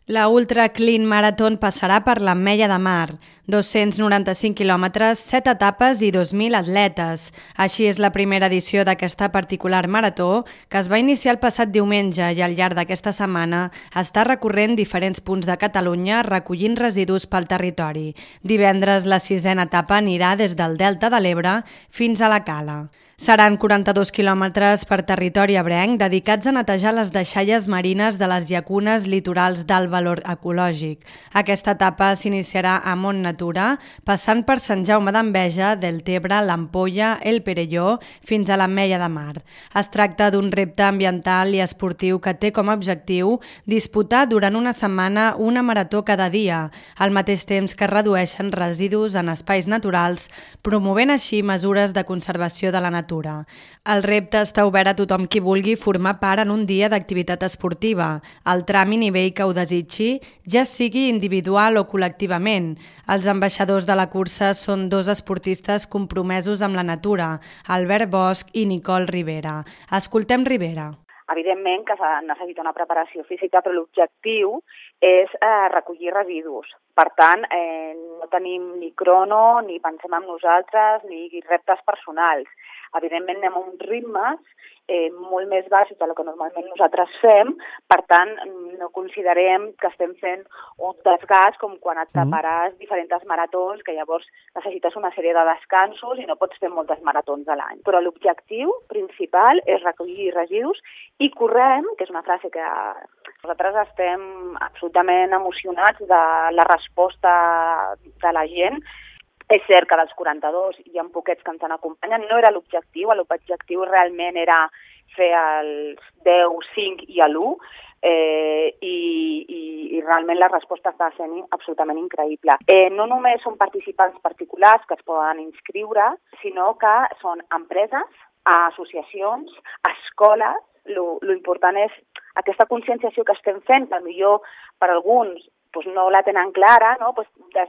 La Ultra Clean Marathon passarà per l'Ametlla de Mar, 295 quilòmetres, 7 etapes i 2.000 atletes. Així és la primera edició d'aquesta particular marató, que es va iniciar el passat diumenge i al llarg d'aquesta setmana està recorrent diferents punts de Catalunya recollint residus pel territori. Divendres la 6a etapa anirà des del Delta de l'Ebre fins a la Cala. Seran 42 quilòmetres per territori ebrenc dedicats a netejar les deixalles marines de les llacunes litorals d'alt valor ecològic. Aquesta etapa s'iniciarà a Mont Natura, passant per Sant Jaume d'Enveja, Deltebre, l'Ampolla, el Perelló, fins a l'Ametlla de Mar. Es tracta d'un repte ambiental i esportiu que té com a objectiu disputar durant una setmana una marató cada dia, al mateix temps que redueixen residus en espais naturals, promovent així mesures de conservació de la natura. El repte està obert a tothom qui vulgui formar part en un dia d'activitat esportiva, al tram i nivell que ho desitgi, ja sigui individual o col·lectivament. Els ambaixadors de la cursa són dos esportistes compromesos amb la natura, Albert Bosch i Nicole Rivera. Escoltem Rivera. Evidentment que necessita una preparació física, però l'objectiu és recollir residus. Per tant, no tenim ni crono, ni pensem en nosaltres, ni reptes personals. Evidentment anem a uns ritmes molt més baixos del que normalment nosaltres fem, per tant no considerem que estem fent un desgast com quan et prepares diferents maratons, que llavors necessites una sèrie de descansos i no pots fer moltes maratons a l'any. Però l'objectiu principal és recollir residus i correm, que és una frase que nosaltres estem absolutament emocionats de la resposta de la gent. És cert que dels 42 hi ha poquets que ens han acompanyat, no era l'objectiu realment era fer els 10, 5 i l'1 i realment la resposta està sent absolutament increïble. No només són participants particulars que es poden inscriure, sinó que són empreses, associacions, escoles. Lo important és aquesta conscienciació que estem fent, que potser per alguns no la tenen clara, no? Des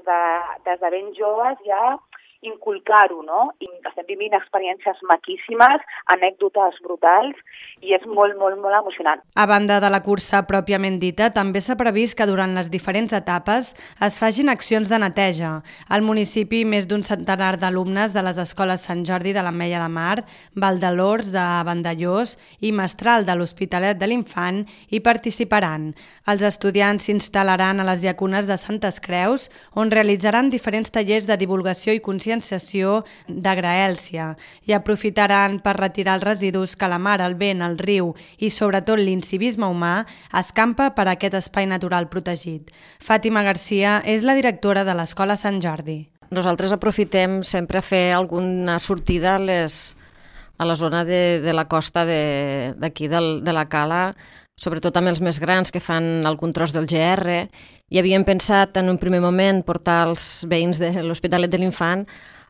de ben joves ja inculcar-ho, no? I estem vivint experiències maquíssimes, anècdotes brutals i és molt, molt, molt emocionant. A banda de la cursa pròpiament dita, també s'ha previst que durant les diferents etapes es facin accions de neteja. Al municipi, més d'un centenar d'alumnes de les escoles Sant Jordi de l'Ametlla de Mar, Valdelors de Vandellós i Mestral de l'Hospitalet de l'Infant hi participaran. Els estudiants s'instal·laran a les llacunes de Santes Creus, on realitzaran diferents tallers de divulgació i conscienciació de graèlcia i aprofitaran per retirar els residus que la mar, el vent, el riu i sobretot l'incivisme humà escampa per aquest espai natural protegit. Fàtima Garcia és la directora de l'Escola Sant Jordi. Nosaltres aprofitem sempre a fer alguna sortida a la zona de la costa d'aquí de la Cala, sobretot amb els més grans que fan algun tros del GR, i havíem pensat en un primer moment portar els veïns de l'Hospitalet de l'Infant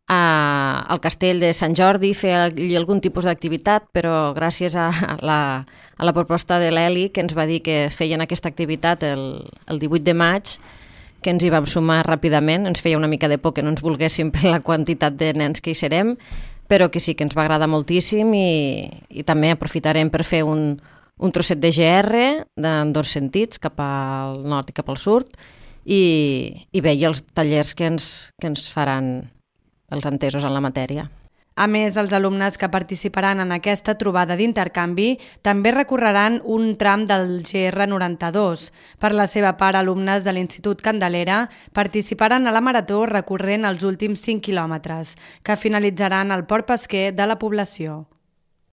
al castell de Sant Jordi, fer allí algun tipus d'activitat, però gràcies a la proposta de l'Eli, que ens va dir que feien aquesta activitat el 18 de maig, que ens hi vam sumar ràpidament, ens feia una mica de por que no ens volguéssim per la quantitat de nens que hi serem, però que sí que ens va agradar moltíssim i també aprofitarem per fer un trosset de GR en dos sentits, cap al nord i cap al sud, i bé, els tallers que ens faran els entesos en la matèria. A més, els alumnes que participaran en aquesta trobada d'intercanvi també recorreran un tram del GR92. Per la seva part, alumnes de l'Institut Candelera participaran a la marató recorrent els últims 5 quilòmetres, que finalitzaran al Port Pesquer de la població.